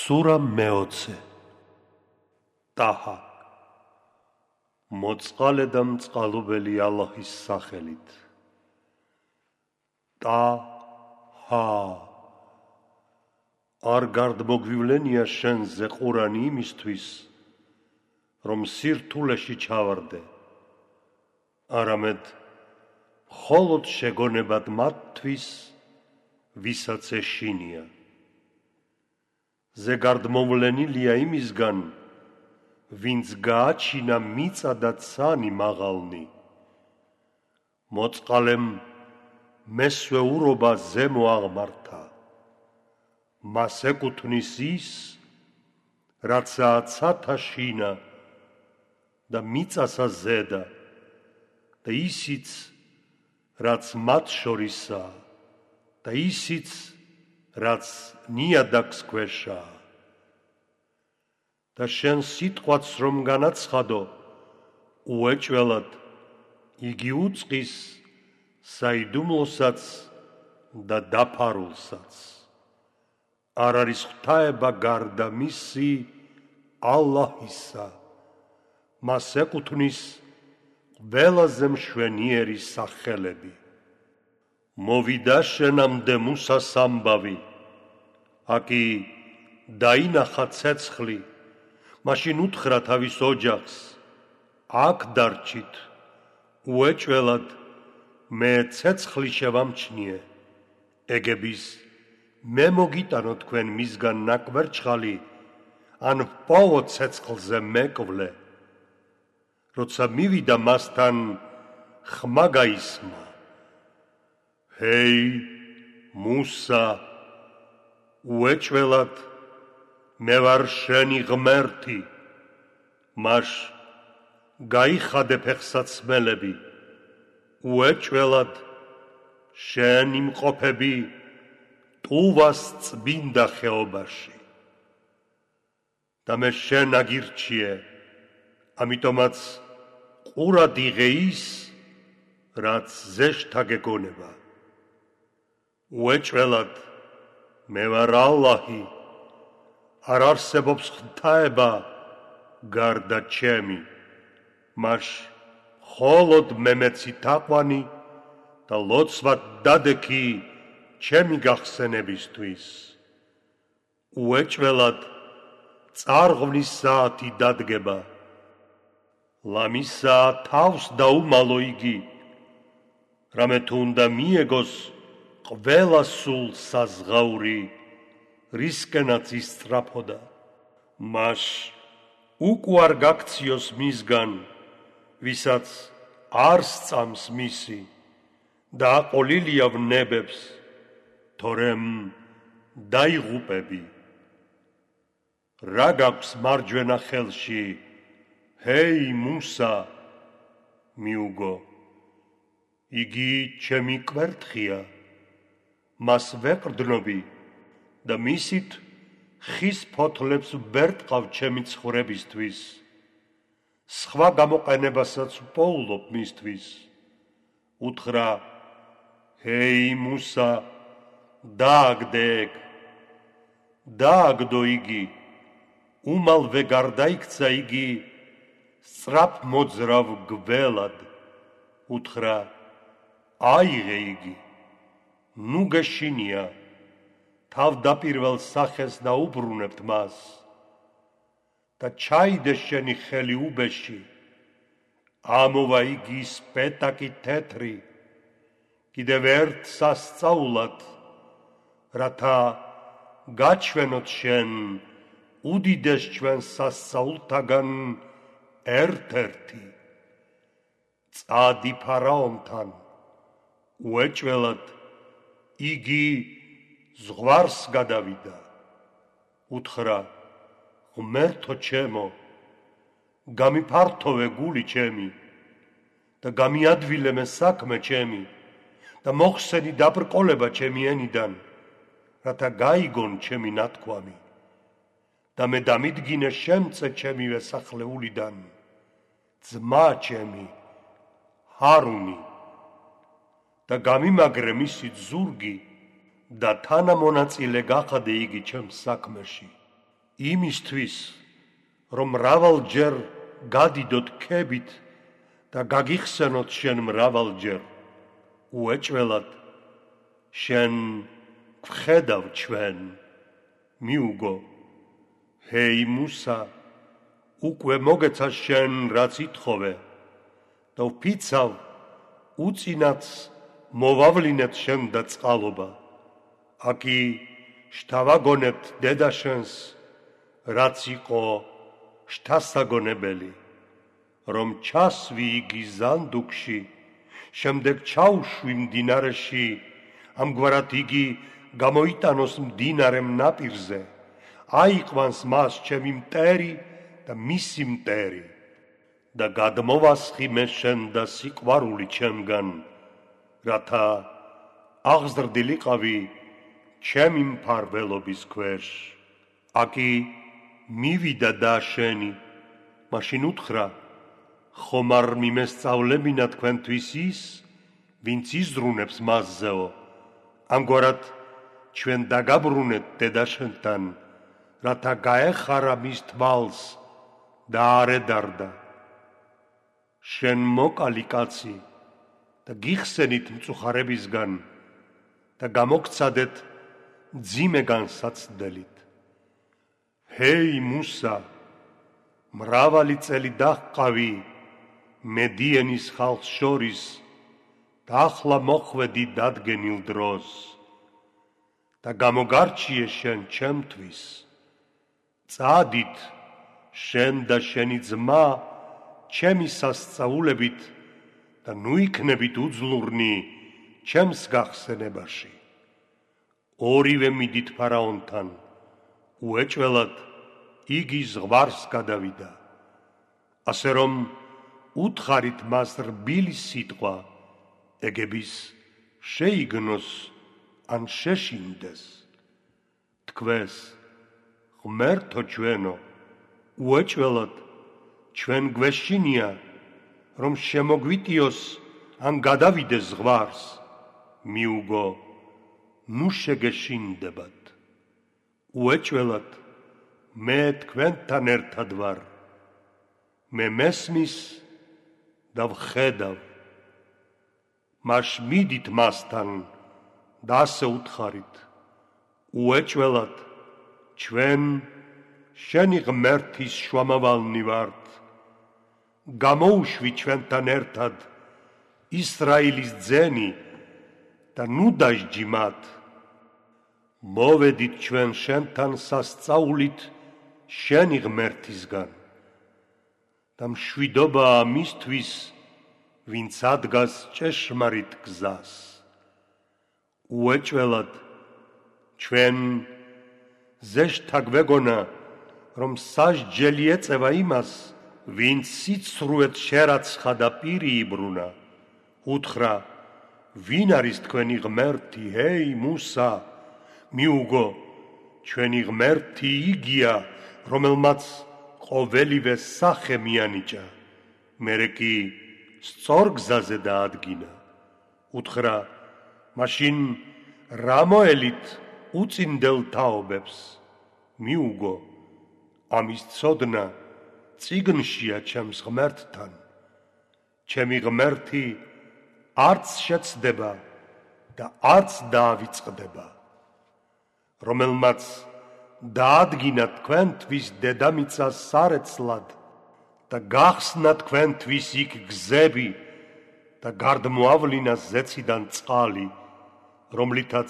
სურა მეოცე. ტაჰა. მოწყალე და მწყალობელი ალაჰის სახელით. ტაჰა. არ გარდმოგვივლენია შენზე ყურანი იმისთვის, რომ სირთულეში ჩავარდე, არამედ მხოლოდ შეგონებად მათთვის, ვისაც ეშინია. ზეგარდმოვლენილია იმისგან, ვინც გააჩინა მიწა და ცანი მაღალნი. მოწყალემ მესვე ურობა ზემო აღმართა. მას ეკუთვნის ის, რაცაა ცათა შინა და მიწასა ზედა და ისიც, რაც მათ შორისაა და ისიც, რაც ნიადაგს ქვეშაა. და შენ სიტყვაც რომ განაცხადო, უეჭველად იგი უწყის საიდუმლოსაც და დაფარულსაც. არ არის ღვთაება გარდა მისი ალლაჰისა, მას ეკუთვნის ყველაზე მშვენიერი სახელები. მოვიდა შენამდე მუსას ამბავი, აკი დაინახა ცეცხლი, მაშინ უთხრა თავის ოჯახს, აქ დარჩით, უეჭველად მე ცეცხლი შევამჩნიე, ეგების მე მოგიტანო თქვენ მისგან ნაკვერჩხალი, ან ვპოვო ცეცხლზე მეკვლე. როცა მივიდა მასთან, ხმა გაისმა. ჰეი, მუსა, უეჭველად მე ვარ შენი ღმერთი, მაშ გაიხადე ფეხსაცმელები, უეჭველად შენ იმყოფები ტუვას წმინდა ხეობაში. და მე შენ აგირჩიე, ამიტომაც ყურად იღე ის, რაც ზეშთა გეგონება. უეჭველად მე ვარ ალლაჰი, არ არსებობს ღვთაება გარდა ჩემი, მაშ მხოლოდ მე მეცი თაყვანი და ლოცვად დადექი ჩემი გახსენებისთვის. უეჭველად წარღვნის საათი დადგება, ლამისა თავს დაუმალო იგი, რამე თუ უნდა მიეგოს ყველა სულ საზღაური, რისკენაც ისწრაფოდა. მაშ უკვარ გაქციოს მისგან, ვისაც არ სწამს მისი და აყოლილია ვნებებს, თორემ დაიღუპები. რა გაქვს მარჯვენა ხელში, ჰეი მუსა, მიუგო, იგი ჩემი კვერთხია, მას ვეყრდნობი და მისით ხის ფოთლებს ვერტყავ ჩემი ცხოვრებისთვის, სხვა გამოყენებასაც ვპოულობ მისთვის. უთხრა, ჰეი მუსა, დააგდე ეგ, დააგდო იგი, უმალვე გარდაიქცა იგი სწრაფ მოძრავ გველად. უთხრა, აიღე იგი, ნუ გეშინია, თავდაპირველ სახეს დაუბრუნებთ მას და ჩაიდე შენი ხელი უბეში, ამოვა იგი სპეტაკი თეთრი, კიდევ ერთ სასწაულად, რათა გაჩვენოთ შენ უდიდეს ჩვენ სასწაულთაგან ერთ-ერთი. წადი ფარაონთან, უეჭველად იგი ზღვარს გადავიდა. უთხრა, ღმერთო ჩემო, გამიფართოვე გული ჩემი და გამიადვილე მე საქმე ჩემი და მოხსენი დაბრკოლება ჩემი ენიდან, რათა გაიგონ ჩემი ნათქვამი და მე დამიდგინე შემწე ჩემივე სახლეულიდან ძმა ჩემი ჰარუნი და გამიმაგრე მისი ზურგი და თანამონაწილე გახადე იგი ჩემს საქმეში. იმისთვის, რომ მრავალჯერ გადიდოთ ქებით და გაგიხსენოთ შენ მრავალჯერ, უეჭველად შენ გვხედავ ჩვენ, მიუგო, ჰეი მუსა, უკვე მოგეცა შენ რაც ითხოვე და ვფიცავ უწინაც მოვავლინეთ შენ და წყალობა, აკი შთავაგონებთ დედა შენს, რაც იყო შთასაგონებელი, რომ ჩასვი იგი ზანდუქში, შემდეგ ჩაუშვი მდინარეში, ამგვარად იგი გამოიტანოს მდინარემ ნაპირზე, აიყვანს მას ჩემი მტერი და მისი მტერი და გადმოვასხი მე შენ და სიყვარული ჩემგან, რათა აღზრდილიყავი ჩემი მფარველობის ქვეშ. აკი მივიდა და შენი, მაშინ უთხრა, ხომ არ მიმესწავლებინა თქვენთვის ის, ვინც იზრუნებს მასზეო, ამგვარად ჩვენ დაგაბრუნეთ დედა შენთან, რათა გაეხარა მის თვალს და არ ედარდა. შენ მოკალი კაცი და გიხსენით მწუხარებისგან და გამოგცადეთ მძიმე განსაცდელით. ჰეი მუსა, მრავალი წელი დაჰყავი მედიენის ხალხს შორის და ახლა მოხვედი დადგენილ დროს და გამოგარჩიე შენ ჩემთვის. წადით შენ და შენი ძმა ჩემი სასწაულებით და ნუ იქნებით უძლურნი ჩემს გახსენებაში. ორივე მიდით ფარაონთან, უეჭველად იგი ზღვარს გადავიდა, ასე რომ უთხარით მას რბილი სიტყვა, ეგების შეიგნოს ან შეშინდეს. თქვეს, ღმერთო ჩვენო, უეჭველად ჩვენ გვეშინია, რომ შემოგვიტიოს ან გადავიდეს ზღვარს, მიუგო, ნუ შეგეშინდებათ. უეჭველად მე თქვენთან ერთად ვარ, მე მესმის და ვხედავ. მაშ მიდით მასთან და ასე უთხარით, უეჭველად ჩვენ შენი ღმერთის შუამავალნი ვართ, გამოუშვი ჩვენთან ერთად ისრაელის ძენი და ნუ დაжჯი მათ. მოვედით ჩვენ შენთან სასწაულით შენი ღმერთისგან და მშვიდობაა მისთვის, ვინც ადგას ჭეშმარიტ გზას. უეჭველად ჩვენ ზეშთა გვეგონა, რომ სასჯელი ეწევა იმას, ვინც სიცრუეთ შერაცხა და პირი იბრუნა. უთხრა, ვინ არის თქვენი ღმერთი, ჰეი მუსა, მიუგო, ჩვენი ღმერთი იგია, რომელმაც ყოველივე სახე მიანიჭა, მერე კი სწორ გზაზე დაადგინა. უთხრა, მაშინ რა მოელით უწინდელ თაობებს, მიუგო, ამის ცოდნა წიგნშია ჩემს ღმერთთან. ჩემი ღმერთი არც შეცდება და არც დაავიწყდება, რომელმაც დაადგინა თქვენთვის დედამიწა სარეცლად და გახსნა თქვენთვის იქ გზები და გარდმოავლინა ზეციდან წყალი, რომლითაც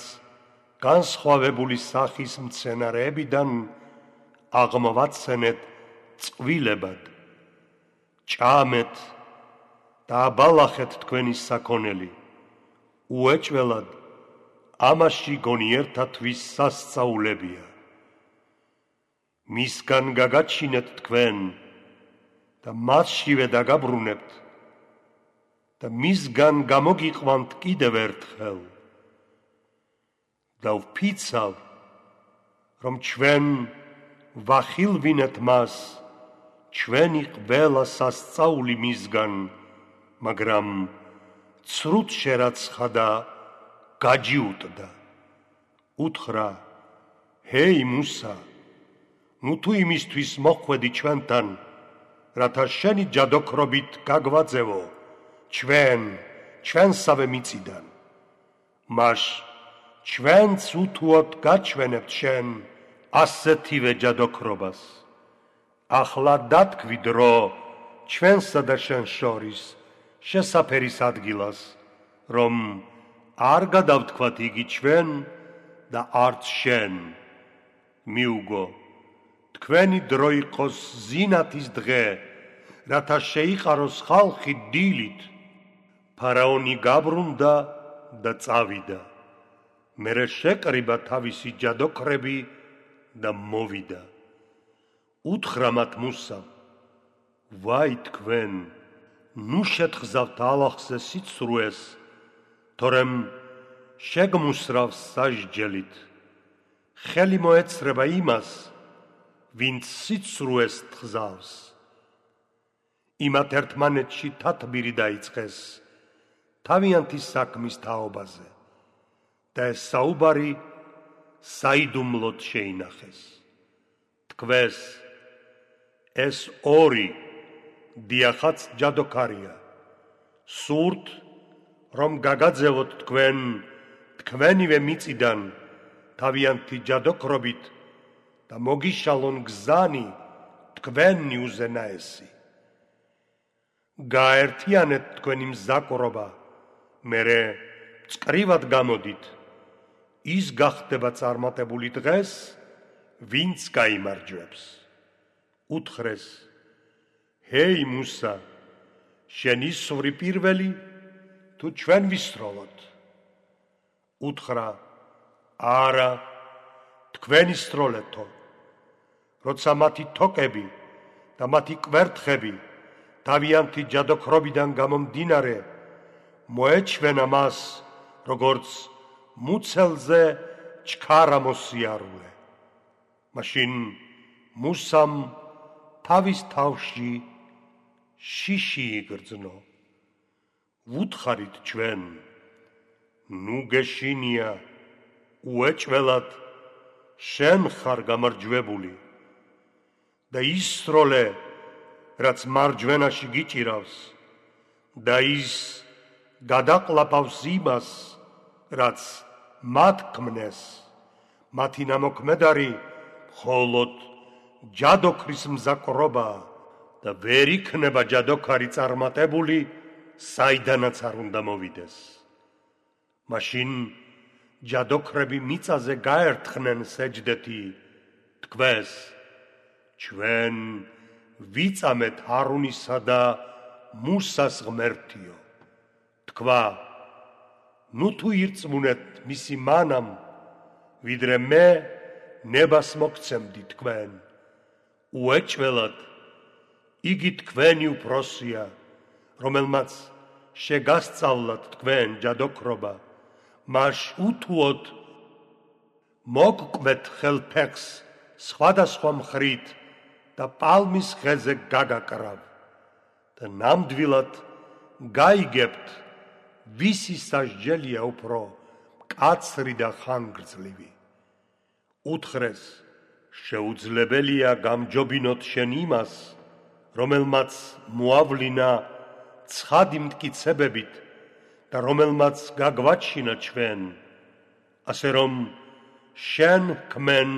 განსხვავებული სახის მცენარეებიდან აღმოვაცენეთ წყვილებად. ჭამეთ და აბალახეთ თქვენი საქონელი, უეჭველად ამაში გონიერთათვის სასწაულებია. მისგან გაგაჩინეთ თქვენ და მასშივე დაგაბრუნებთ და მისგან გამოგიყვანთ კიდევ ერთხელ და ვფიცავ, რომ ჩვენ ვახილვინეთ მას, ჩვენი ყველა სასწაული მისგან, მაგრამ ცრუთ შერაცხა და გაჯიუტდა. უთხრა, ჰეი მუსა, ნუ თუ იმისთვის მოხვედი ჩვენთან, რათა შენი ჯადოქრობით გაგვაძევო ჩვენსავე მიწიდან. მაშ ჩვენც უთუოდ გაჩვენებთ შენ ასეთივე ჯადოქრობას. ახლა დათქვი დრო ჩვენსა და შენ შორის შესაფერის ადგილას, რომ არ გადავთქვათ იგი ჩვენ და არც შენ. მიუგო, თქვენი დრო იყოს ზინათის დღე, რათა შეიყაროს ხალხი დილით. ფარაონი გაბრუნდა და წავიდა. მერე შეკრიბა თავისი ჯადოქრები და მოვიდა. უთხრა მათ მუსამ: ვაი თქვენ, ნუ შეთხზავთ ალახზე სიცრუეს, თორემ შეგმუსრავს სასჯელით. ხელი მოეცრება იმას, ვინც სიცრუეს თხზავს. იმათ ერთმანეთში თათბირი დაიწყეს თავიანთი საქმის თაობაზე და ეს საუბარი საიდუმლოდ შეინახეს. თქვეს, ეს ორი დიახაც ჯადოქარია. სურთ, რომ გაგაძევოთ თქვენ თქვენივე მიწიდან თავიანთი ჯადოქრობით და მოგიშალონ გზანი თქვენი უზენაესი. გაერთიანეთ თქვენი მზაკრობა, მერე წკრივად გამოდით. ის გახდება წარმატებული დღეს, ვინც გაიმარჯვებს. უთხრეს: ჰეი მუსა, შენ ისვრი პირველი, თუ ჩვენ ვისროლოთ? უთხრა: არა, თქვენ ისროლეთო. როცა მათი თოკები და მათი კვერთხები თავიანთი ჯადოქრობიდან გამომდინარე მოეჩვენა მას, როგორც მუცელზე ჩქარა მოსიარულე. მაშინ მუსამ თავის თავში შიში იგრძნო. ვუთხარით ჩვენ, ნუ გეშინია, უეჭველად შენ ხარ გამარჯვებული და ისროლე, რაც მარჯვენაში გიჭირავს და ის გადაყლაპავს იმას, რაც მათ ქმნეს. მათი ნამოქმედარი მხოლოდ ჯადოქრის მზაკრობა და ვერ იქნება ჯადოქარი წარმატებული, საიდანაც არ უნდა მოვიდეს. მაშინ ჯადოქრები მიწაზე გაერთხნენ სეჯდეთი, თქვეს: ჩვენ ვიწამეთ ჰარუნისა და მუსას ღმერთიო. თქვა: ნუ თუ ირწმუნეთ მისი მანამ, ვიდრე მე ნებას მოგცემდი თქვენ. უეჭველად იგი თქვენი უფროსია, რომელმაც შეგასწავლათ თქვენ ჯადოქრობა. მაშ უთუოდ მოგკვეთ ხელფეხს სხვადასხვა მხრით და პალმის ხეზე გაგაკრავ და ნამდვილად გაიგებთ, ვისი სასჯელია უფრო მკაცრი და ხანგრძლივი. უთხრეს: შეუძლებელია გამჯობინოთ შენ იმას, რომელმაც მოავლინა ცხადი მტკიცებებით და რომელმაც გაგვაჩინა ჩვენ, ასე რომ შენ ქმენ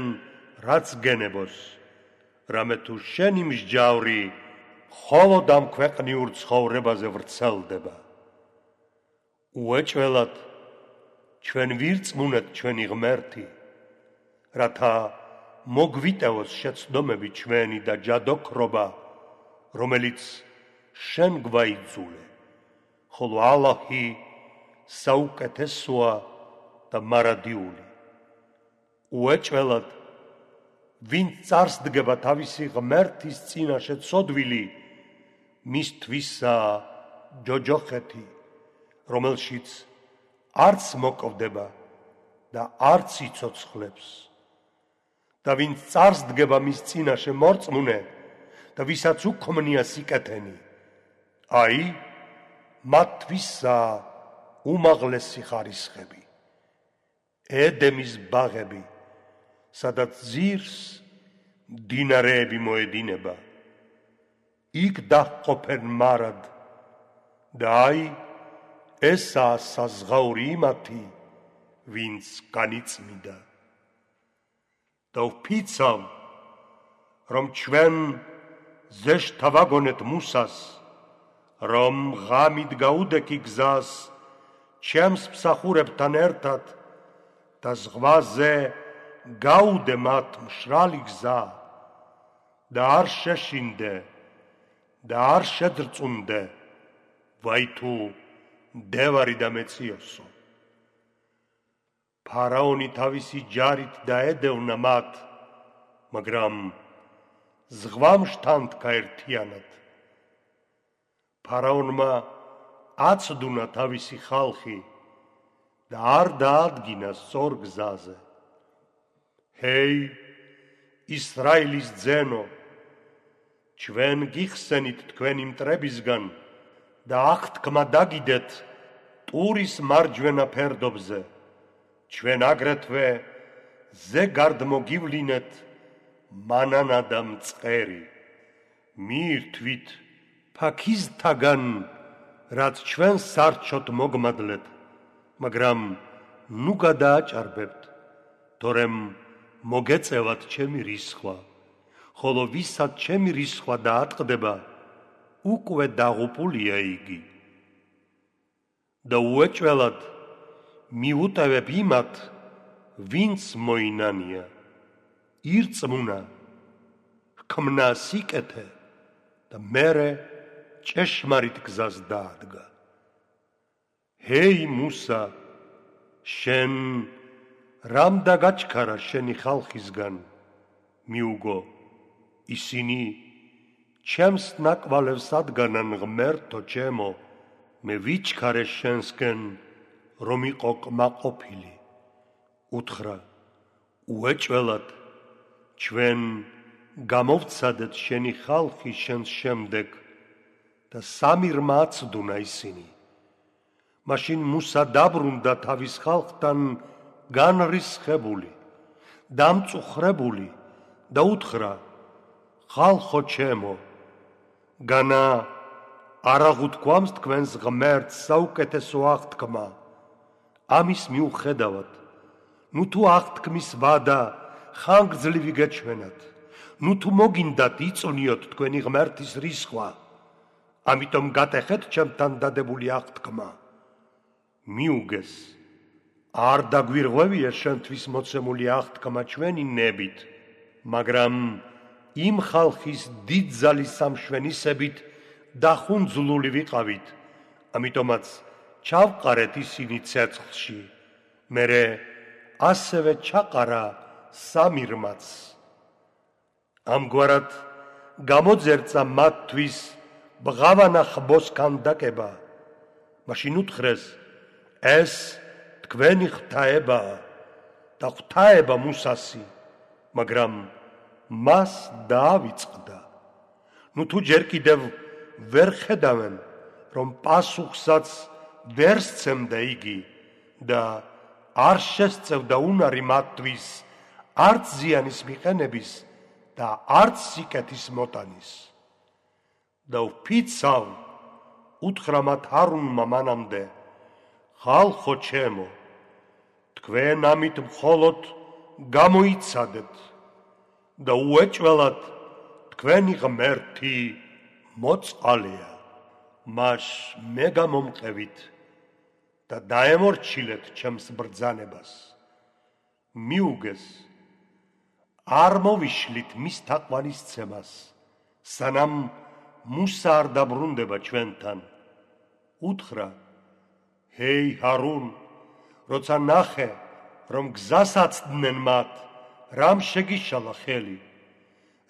რაც გენებოს, რამე თუ შენი მსჯავრი მხოლოდ ამ ქვეყნიურ ცხოვრებაზე ვრცელდება. უეჭველად ჩვენ ვირწმუნეთ ჩვენი ღმერთი, რათა მოგვიტევოს შეცდომები ჩვენი და ჯადოქრობა, რომელიც შენ გვაიძულე, ხოლო ალაჰი საუკეთესოა და მარადიული. უეჭველად ვინც წარსდგება თავისი ღმერთის წინაშე ცოდვილი, მისთვისაა ჯოჯოხეთი, რომელშიც არც მოკვდება და არც იცოცხლებს. და ვინც წარსდგება მის წინაშე მორწმუნე და ვისაც უქმნია სიკეთენი, აი, მათთვისაა უმაღლესი მდინარეები მოედინება, იქ დაჰყოფენ მარად და აი ესაა საზღაური იმათი, ვინც განიწმიდა. და ვფიცავ, რომ ჩვენ ზეშთა ვაგონეთ მუსას, რომ ღამით გაუდექი გზას ჩემს მსახურებთან ერთად და ზღვაზე გაუდე მათ მშრალი გზა და არ შეშინდე და არ შეძრწუნდე, ვაი თუ მდევარი და მეციოსო. ფარაონი თავისი ჯარით დაედევნა მათ, მაგრამ ზღვამ შთანთქა ერთიანად. ფარაონმა აცდუნა თავისი ხალხი და არ დაადგინა სწორ გზაზე. ჰეი, ისრაელის ძენო, ჩვენ გიხსენით თქვენი მტრებისგან და აღთქმა დაგიდეთ ტურის მარჯვენა ფერდობზე. ჩვენ აგრეთვე ზეგარდ მოგივლინეთ მანანა და მწყერი. მიირთვით ფაქიზთაგან, რაც ჩვენ სარჩოთ მოგმადლეთ, მაგრამ ნუ გადააჭარბებთ, თორემ მოგეწევათ ჩემი რისხვა, ხოლო ვისაც ჩემი რისხვა დაატყდება, უკვე დაღუპულია იგი. და უეჭველად მიუტევებ იმათ, ვინც მოინანია, ირწმუნა, ჰქმნა სიკეთე და მერე ჭეშმარიტ გზას დაადგა. ჰეი მუსა, შენ რამ დაგაჩქარა შენი ხალხისგან, მიუგო, ისინი ჩემს ნაკვალევს ადგანან ღმერთო ჩემო, მე ვიჩქარე შენსკენ, რომ იყო კმაყოფილი. უთხრა, უეჭველად, ჩვენ გამოვცადეთ შენი ხალხი შენს შემდეგ და სამი რმა აცდუნა ისინი. მაშინ მუსა დაბრუნდა თავის ხალხთან განრისხებული, დამწუხრებული და უთხრა, ხალხო ჩემო, განა არ აღუთქვამს თქვენს ღმერთს საუკეთესო აღთქმა. ამის მიუხედავად, ნუ თუ აღთქმის ვადა ხანგრძლივი გეჩვენათ, ნუ თუ მოგინდათ იწვნიოთ თქვენი ღმერთის რისხვა, ამიტომ გატეხეთ ჩემთან დადებული აღთქმა. მიუგეს, არ დაგვირღვევია შენთვის მოცემული აღთქმა ჩვენი ნებით, მაგრამ იმ ხალხის დიდძალის სამშვენისებით დახუნძლული ვიყავით, ამიტომაც ჩავყარეთ ისინი ცეცხლში, მერე ასევე ჩაყარა სამი რმაც. ამგვარად გამოძერწა მათთვის ბღავანა ხბოს ქანდაკება. მაშინ უთხრეს, ეს თქვენი ღვთაებაა და ღვთაება მუსასი, მაგრამ მას დაავიწყდა. ნუ თუ ჯერ კიდევ ვერ ხედავენ, რომ პასუხსაც ვერ სცემდა იგი და არ შესწევდა უნარი მათთვის არც ზიანის მიყენების და არც სიკეთის მოტანის. და ვფიცავ, უთხრა მათ ჰარუნმა მანამდე, ხალხო ჩემო, თქვენ ამით მხოლოდ გამოიცადეთ და უეჭველად თქვენი ღმერთი მოწყალია. მას მე გამომყევით და დაემორჩილეთ ჩემს ბრძანებას. მიუგეს, არ მოვიშლით მის თაყვანისცემას, სანამ მუსა არ დაბრუნდება ჩვენთან. უთხრა, ჰეი ჰარუნ, როცა ნახე, რომ გზას აცდნენ მათ, რამ შეგიშალა ხელი,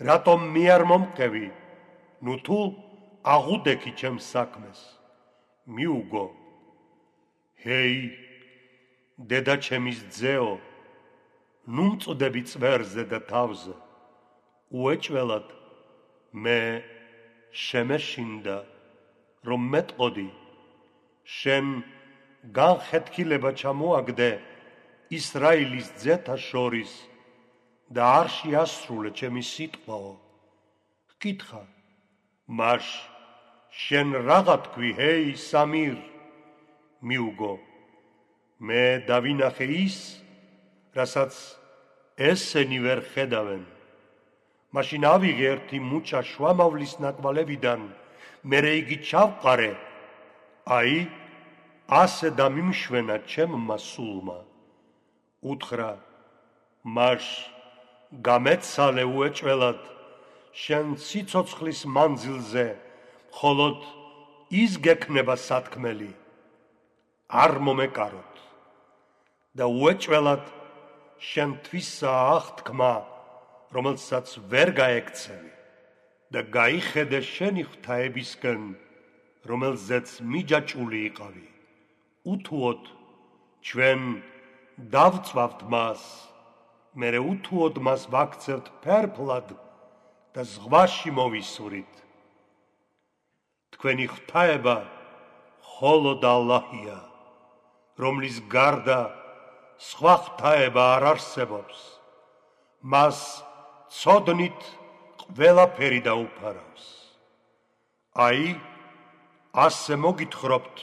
რატომ მე არ მომყევი, ნუ თუ აღუდექი ჩემს საქმეს. მიუგო, ჰეი, დედა ჩემის ძეო, ნუ მწდები წვერზე და თავზე. უეჭველად მე შემეშინდა, რომ მეტყოდი, შენ განხეთქილება ჩამოაგდე ისრაელის ძეთა შორის და არ შეასრულე ჩემი სიტყვაო. ჰკითხა, მაშ შენ რაღა თქვი, ჰეი სამირ? მიუგო, მე დავინახე ის, რასაც ესენი ვერ ხედავენ. მაშინ ავიღე ერთი მუჭა შვამავლის ნაკვალევიდან, მერე იგი ჩავყარე, აი, ასე დამიმშვენა ჩემმა სულმა. უთხრა, მაშ გამეცალე უეჭველად შენ სიცოცხლის მანძილზე, მხოლოდ ის გექნება სათქმელი. არ მომეკაროთ და უეჭველად შენთვისაა აღთქმა, რომელსაც ვერ გაექცევი და გაიხედე შენი ღვთაებისკენ, რომელზეც მიჯაჭული იყავი. უთუოდ ჩვენ დავწვავთ მას, მერე უთუოდ მას ვაქცევთ ფერფლად და ზღვაში მოვისვრით. თქვენი ღვთაება მხოლოდ ალლაჰია, რომლის გარდა სხვა ღვთაება არ არსებობს. მას ცოდნით ყველაფერი დაუფარავს. აი, ასე მოგითხრობთ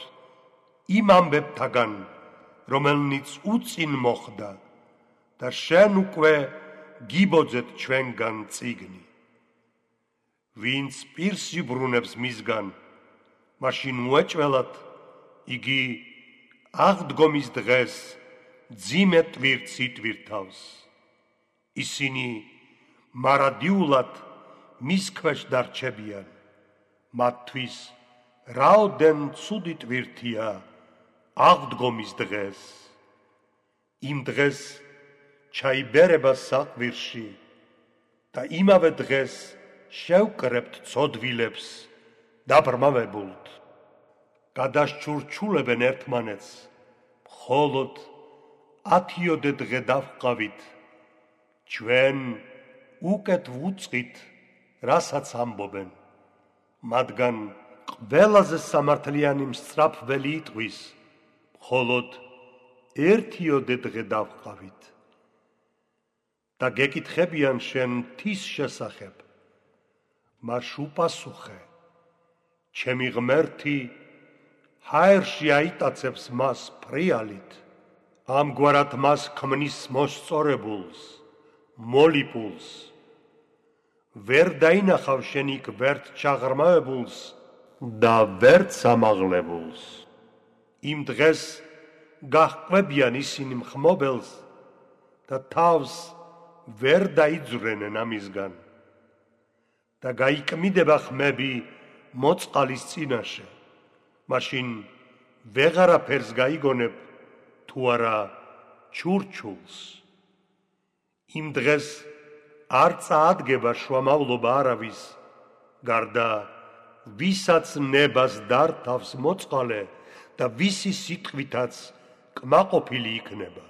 იმ ამბებთაგან, რომელნიც უწინ მოხდა და შენ უკვე გიბოძეთ ჩვენგან წიგნი. ვინც პირს იბრუნებს მისგან, მაშინ უეჭველად იგი აღდგომის დღეს ძიმე ტვირთს იტვირთავს. ისინი მარადიულად მის ქვეშ დარჩებიან. მათთვის რაოდენ ცუდი ტვირთია აღდგომის დღეს. იმ დღეს ჩაიბერება საყვირში და იმავე დღეს შევკრებთ ცოდვილებს დაბრმავებულთ. გადაშჩურჩულებენ ერთმანეთს, მხოლოდ 10 დღე დავჰყავით, ჩვენ უკეთ ვუწყით, რასაც ამბობენ. მათგან ყველაზე სამართლიანი მსწრაფველი იტყვის, მხოლოდ 1 დღე დავჰყავით. და გეკითხებიან შენ მთის შესახებ. მაშ უპასუხე, ჩემი ღმერთი ჰაერში აიტაცებს მას ფრიალით, ამგვარად მას ქმნის მოსწორებულს, მოლიპულს. ვერ დაინახავ შენ იქ ვერც ჩაღრმავებულს და ვერც ამაღლებულს. იმ დღეს გაჰყვებიან ისინი მხმობელს და თავს ვერ დაიძვრენენ ამისგან და გაიკმიდება ხმები მოწყალის წინაშე. მაშინ ვეღარაფერს გაიგონებ თუ არა ჩურჩულს. იმ დღეს არ წაადგება შვამავლობა არავის, გარდა ვისაც ნებას დართავს მოწყალე და ვისი სიტყვითაც კმაყოფილი იქნება.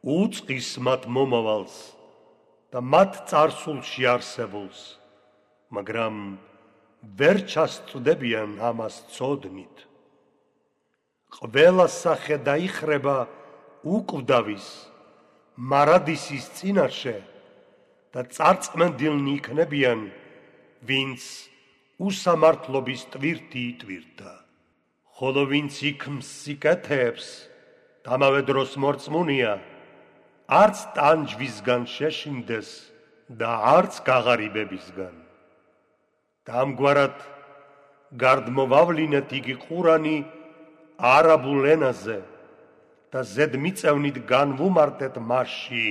უწყის მათ მომავალს და მათ წარსულში არსებულს, მაგრამ ვერ ჩასწვდებიან ამას ცოდნით. ყველა სახე დაიხრება უკვდავის, მარადისის წინაშე და წარწმენდილნი იქნებიან, ვინც უსამართლობის ტვირთი იტვირთა. ხოლო ვინც იქ მსიკეთეებს, ამავე დროს მორწმუნეა, არც ტანჯვისგან შეშინდეს და არც გაღარიბებისგან. და ამგვარად გარდმოვავლინეთ იგი ყურანი არაბულ ენაზე და ზედმიწევნით განვუმარტეთ მასში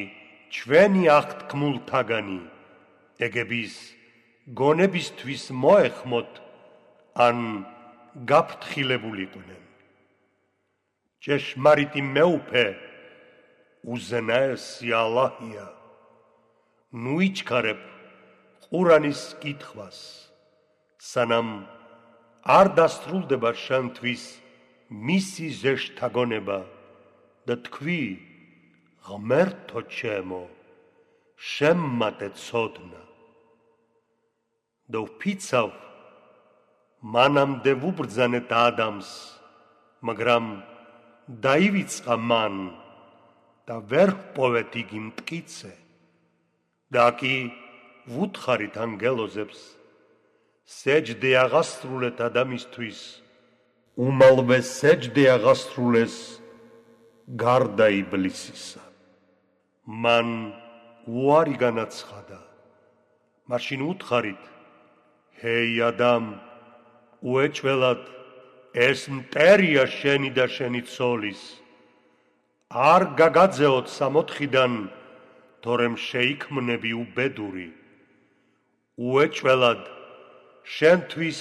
ჩვენი აღთქმულთაგანი, ეგების გონებისთვის მოეხმოთ ან გაფრთხილებულიყვნენ. ჭეშმარიტი მეუფე უზენაესი ალლაჰია. ნუ იჩქარებ ყურანის კითხვას, სანამ არ დასრულდება შენთვის მისი ზეშთაგონება და თქვი, ღმერთო ჩემო, შემმატე ცოდნა. და ვფიცავ, მანამდე ვუბრძანეთ ადამს, მაგრამ დაივიწყა მან და ვერ ჰპოვეთ იგი მტკიცე. და კი ვუთხარით ანგელოზებს, სეჯდე აღასრულეთ ადამიანისთვის, უმალვე სეჯდე აღასრულეს გარდა იბლისისა. მან უარი განაცხადა, მაშინ უთხარით, ჰეი ადამ, უეჭველად ეს მტერია შენი და შენი ცოლის, არ გაგაძეოთ სამოთხიდან, თორემ შეიქმნები უბედური. უეჭველად შენთვის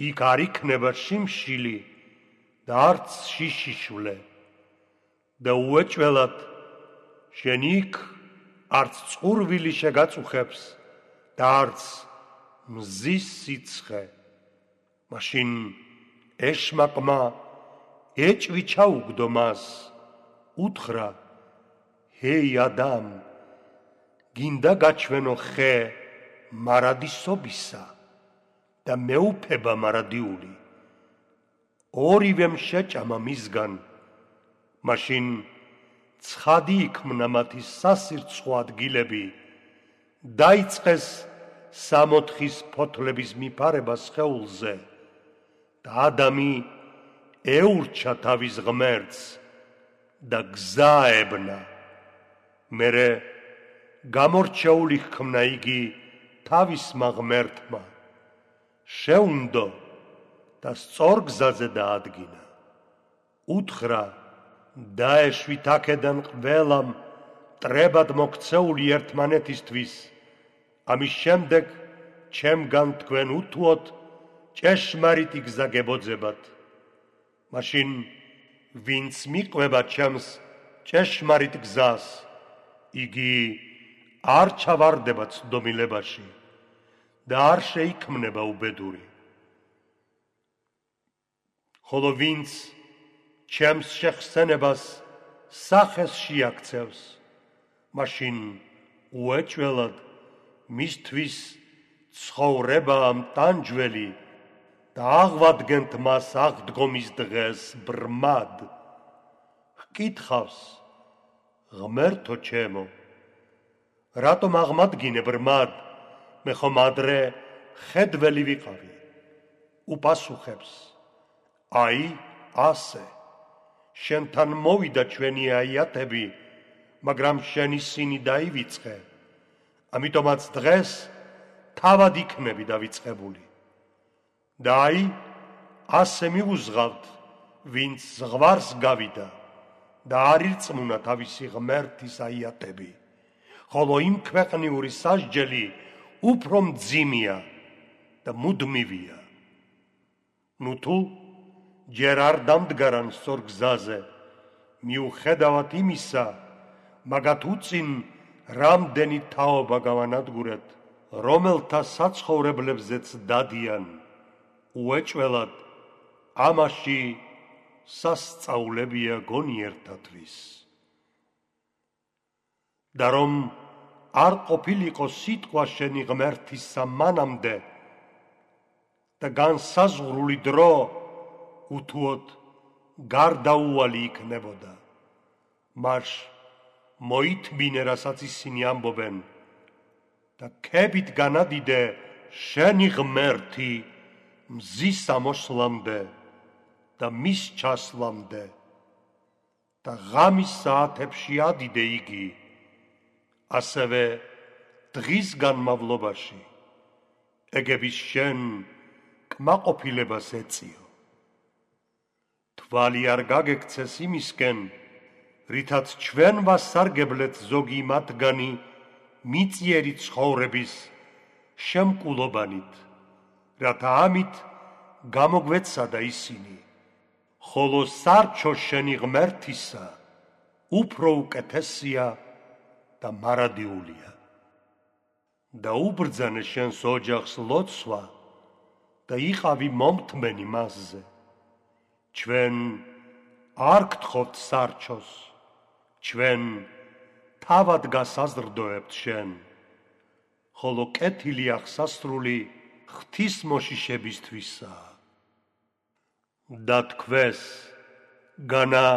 იქ არ იქნება შიმშილი და არც შიშიშვლე და უეჭველად შენ იქ არც წყურვილი შეგაწუხებს და არც მზის სიცხე. მაშინ ეშმაკმა ეჭვი ჩაუგდო მას, უთხრა, ჰეი ადამ, გინდა გაჩვენო ხე მარადისობისა და მეუფება მარადიული. ორივემ შეჭამა მისგან, მაშინ ცხადი იქმნა მათი სასირცხო ადგილები, დაიწყეს სამოთხის ფოთლების მიფარება სხეულზე და ადამი ეურჩა თავის ღმერთს და გზა ებნა. მერე გამორჩეული ჰქმნა იგი თავისმა ღმერთმა, შეუნდო და სწორ გზაზე დაადგინა. უთხრა, დაეშვით აქედან ყველამ მტრებად მოქცეული ერთმანეთისთვის, ამის შემდეგ ჩემგან თქვენ უთუოთ ჭეშმარიტი გზა გებოძებათ. მაშინ ვინც მიყვება ჩემს ჭეშმარიტ გზას, იგი არ ჩავარდება ცდომილებაში და არ შეიქმნება უბედური. ხოლო ვინც ჩემს შეხსენებას სახეს შეაქცევს, მაშინ უეჭველად მისთვის ცხოვრებაა მტანჯველი და აღვადგენთ მას აღდგომის დღეს ბრმად. ჰკითხავს, ღმერთო ჩემო, რატომ აღმადგინე ბრმად, მე ხომ ადრე ხედველი ვიყავი? უპასუხებს, აი ასე, შენთან მოვიდა ჩვენი აიათები, მაგრამ შენი სინი დაივიწყე, ამიტომაც დღეს თავად იქნები დავიწყებული. და აი, ასე მიუზღავთ, ვინც ზღვარს გავიდა და არ ირწმუნა თავისი ღმერთის აიათები, ხოლო იმ ქვეყნიური სასჯელი უფრო მძიმეა და მუდმივია. ნუ თუ ჯერ არ დამდგარან სწორ გზაზე, მიუხედავად იმისა, მაგათ უწინ რამდენი თაობა გავანადგურეთ, რომელთა საცხოვრებლებზეც დადიან, უეჭველად ამაში სასწაულებია გონიერთათვის. და რომ არ ყოფილიყო სიტყვა შენი ღმერთისა მანამდე და განსაზღვრული დრო, უთუოდ გარდაუვალი იქნებოდა. მარშ მოითმინე, რასაც ისინი ამბობენ და ქებით განადიდე შენი ღმერთი მზის ამოსვლამდე და მის ჩასვლამდე და ღამის საათებში ადიდე იგი, ასევე დღის განმავლობაში ეგების შენ კმაყოფილებას ეწიო. თვალი არ გაგექცეს იმისკენ, რითაც ჩვენ ვასარგებლეთ ზოგი მათგანი მიწიერი ცხოვრების შემკულობანით, რათა ამით გამოგვეცადა ისინი, ხოლო სარჩო შენი ღმერთისა უფრო უკეთესია და მარადიულია. და უბრძანე შენს ოჯახს ლოცვა და იყავი მომთმენი მასზე. ჩვენ არ გთხოვთ სარჩოს, ჩვენ თავად გასაზრდოებთ შენ, ხოლო კეთილი აღსასრული ღვთისმოშიშებისთვისაა. და თქვეს, განა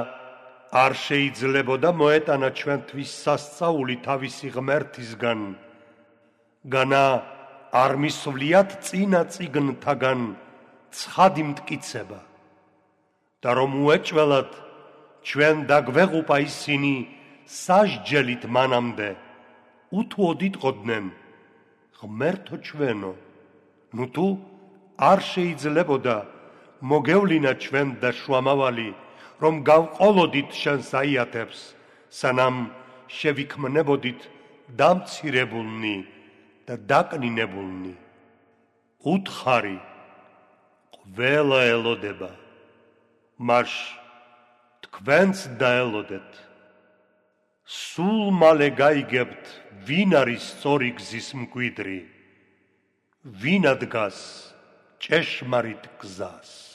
არ შეიძლებოდა მოეტანა ჩვენთვის სასწაული თავისი ღმერთისგან, განა არ მისვლიათ წინა წიგნთაგან ცხადი მტკიცება და რომ უეჭველად ჩვენ დაგვეღუპა ისინი სასჯელით მანამდე, უთუოდიტყოდნენ, ღმერთო ჩვენო, ნუ თუ არ შეიძლებოდა მოგევლინა ჩვენ და შუამავალი, რომ გავყოლოდით შენს აიათებს, სანამ შევიქმნებოდით დამცირებულნი და დაკნინებულნი. უთხარი, ყველა ელოდება, მაშ თქვენც დაელოდეთ. სულ მალე გაიგებთ, ვინ არის სწორი გზის მკვიდრი, ვინ ადგას ჭეშმარიტ გზას.